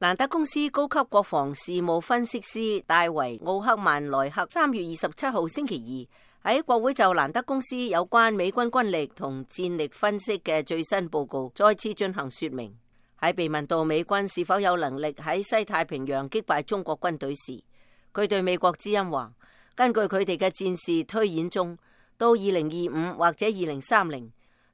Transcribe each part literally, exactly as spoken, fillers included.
蘭德公司高級國防事務分析師戴維奧克曼萊克三月二十七號星期二喺國會就蘭德公司有關美軍軍力同戰力分析嘅最新報告再次進行說明。喺被問到美軍是否有能力喺西太平洋擊敗中國軍隊時，佢對美國之音話：根據佢哋嘅戰事推演中，到二零二五或者二零三零，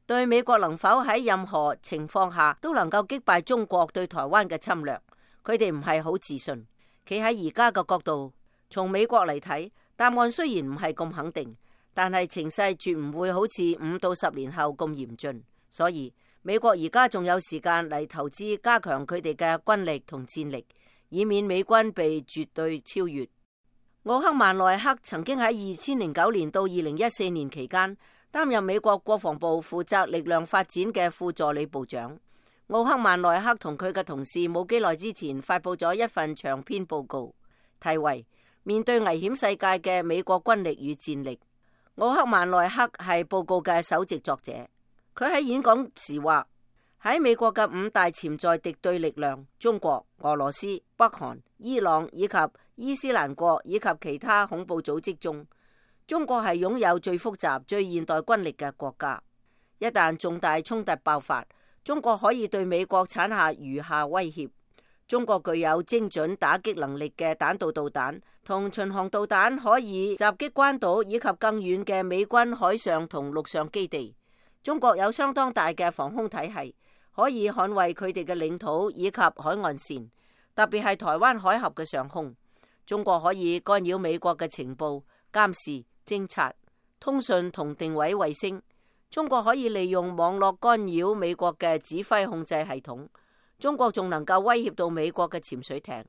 對美國能否喺任何情況下都能夠擊敗中國對台灣嘅侵略，佢哋唔係好自信。企喺而家嘅角度，從美國嚟睇，答案雖然唔係咁肯定，但係情勢絕唔會好似五到十年後咁嚴峻。所以美國而家仲有時間嚟投資加強佢哋嘅軍力同戰力，以免美軍被絕對超越。奧克曼萊克曾經喺二千零九年到二零一四年期間擔任美國國防部負責力量發展嘅副助理部長。奧克曼萊克同佢嘅同事冇幾耐之前發佈咗一份長篇報告，題為《面對危險世界嘅美國軍力與戰力》。奧克曼萊克係報告嘅首席作者。佢喺演講時話：喺美國嘅五大潛在敵對力量——中國、俄羅斯、北韓、伊朗以及伊斯蘭國以及其他恐怖組織中，中國係擁有最複雜、最現代軍力嘅國家。一旦重大衝突爆發，中國可以對美國產下如下威脅：中國具有精準打擊能力嘅彈道導彈同巡航導彈，可以襲擊關島以及更遠嘅美軍海上同陸上基地。中國有相當大嘅防空體系，可以捍衛佢哋嘅領土以及海岸線，特別係台灣海峽嘅上空。中國可以干擾美國嘅情報、監視、偵察、通訊同定位衛星。中國可以利用網絡干擾美國嘅指揮控制系統。中國仲能夠威脅到美國嘅潛水艇。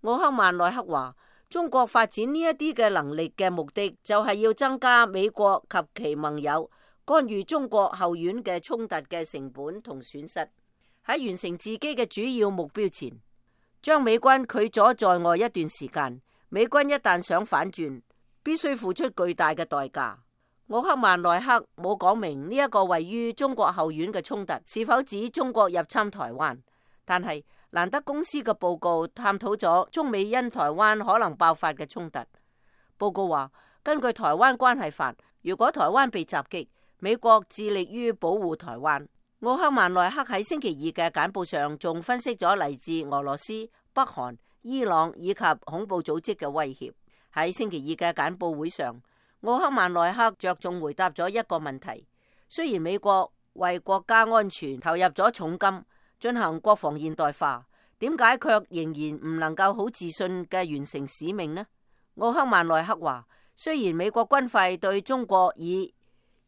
奧克曼萊克話：中國發展呢一啲嘅能力嘅目的，就係要增加美國及其盟友干預中國後院嘅衝突嘅成本同損失。喺完成自己嘅主要目標前，將美軍拒咗在外一段時間。美軍一旦想反轉，必須付出巨大嘅代價。奧克曼萊克冇講明呢一個位於中國後院嘅衝突是否指中國入侵台灣，但係蘭德公司嘅報告探討咗中美因台灣可能爆發嘅衝突。報告話，根據台灣關係法，如果台灣被襲擊，美國致力於保護台灣。奧克曼萊克喺星期二嘅簡報上仲分析咗嚟自俄羅斯、北韓、伊朗以及恐怖組織嘅威脅。喺星期二嘅簡報會上，奧克曼萊克着重回答咗一個問題：雖然美國為國家安全投入咗重金進行國防現代化，點解卻仍然唔能夠好自信嘅完成使命呢？奧克曼萊克話：雖然美國軍費對中國以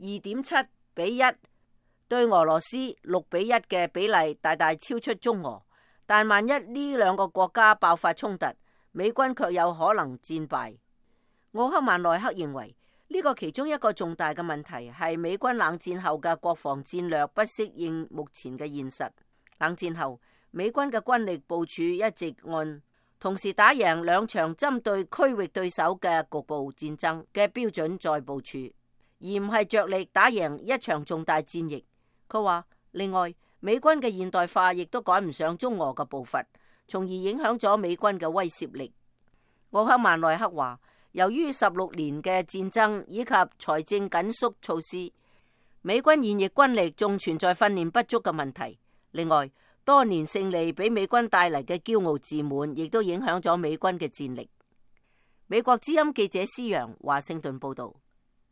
二點七比一，對俄羅斯六比一嘅比例大大超出中俄，但萬一呢兩個國家爆發衝突，美軍卻有可能戰敗。奧克曼萊克認為呢個其中一個重大嘅問題係美軍冷戰後嘅國防戰略不適應目前嘅現實。冷戰後，美軍嘅軍力部署一直按同時打贏兩場針對區域對手嘅局部戰爭嘅標準再部署，而唔係着力打贏一場重大戰役。佢話，另外美軍嘅現代化亦都趕唔上中俄嘅步伐，從而影響咗美軍嘅威懾力。奧克曼萊克話，由於十六年嘅戰爭以及財政緊縮措施，美軍現役軍力仲存在訓練不足嘅問題。另外，多年勝利俾美軍帶嚟嘅驕傲自滿，亦都影響咗美軍嘅戰力。美國之音記者施洋華盛頓報道。